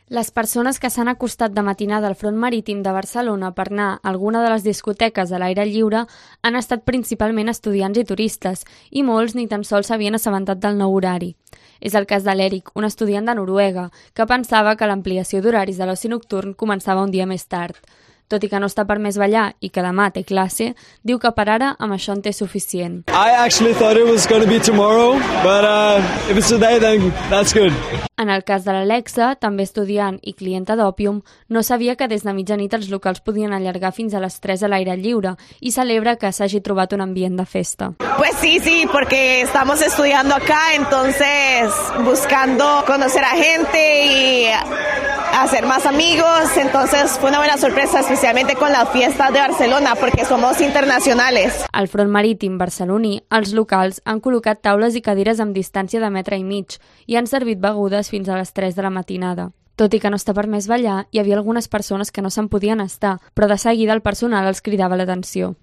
Les persones que s'han acostat de matinada al front marítim de Barcelona per anar a alguna de les discoteques a l'aire lliure han estat principalment estudiants i turistes, i molts ni tan sols s'havien assabentat del nou horari. És el cas de l'Eric, un estudiant de Noruega, que pensava que l'ampliació d'horaris de l'oci nocturn començava un dia més tard. Tot i que no està permès ballar i que demà té classe, diu que per ara amb això en té suficient. I actually thought it was going to be tomorrow, but if it's today, then that's good. En el cas de l'Alexa, també estudiant i clienta d'Òpium, no sabia que des de mitjanit els locals podien allargar fins a les 3 a l'aire lliure i celebra que s'hagi trobat un ambient de festa. Pues sí, porque estamos estudiando acá, entonces buscando conocer a gente y hacer más amigos, entonces fue una buena sorpresa, especialmente con las fiestas de Barcelona, porque somos internacionales. Al front marítim barceloní, els locals han col·locat taules i cadires amb distància de metre i mig i han servit begudes fins a les 3 de la matinada. Tot i que no està permès ballar, hi havia algunes persones que no se'n podien estar, però de seguida el personal els cridava l'atenció.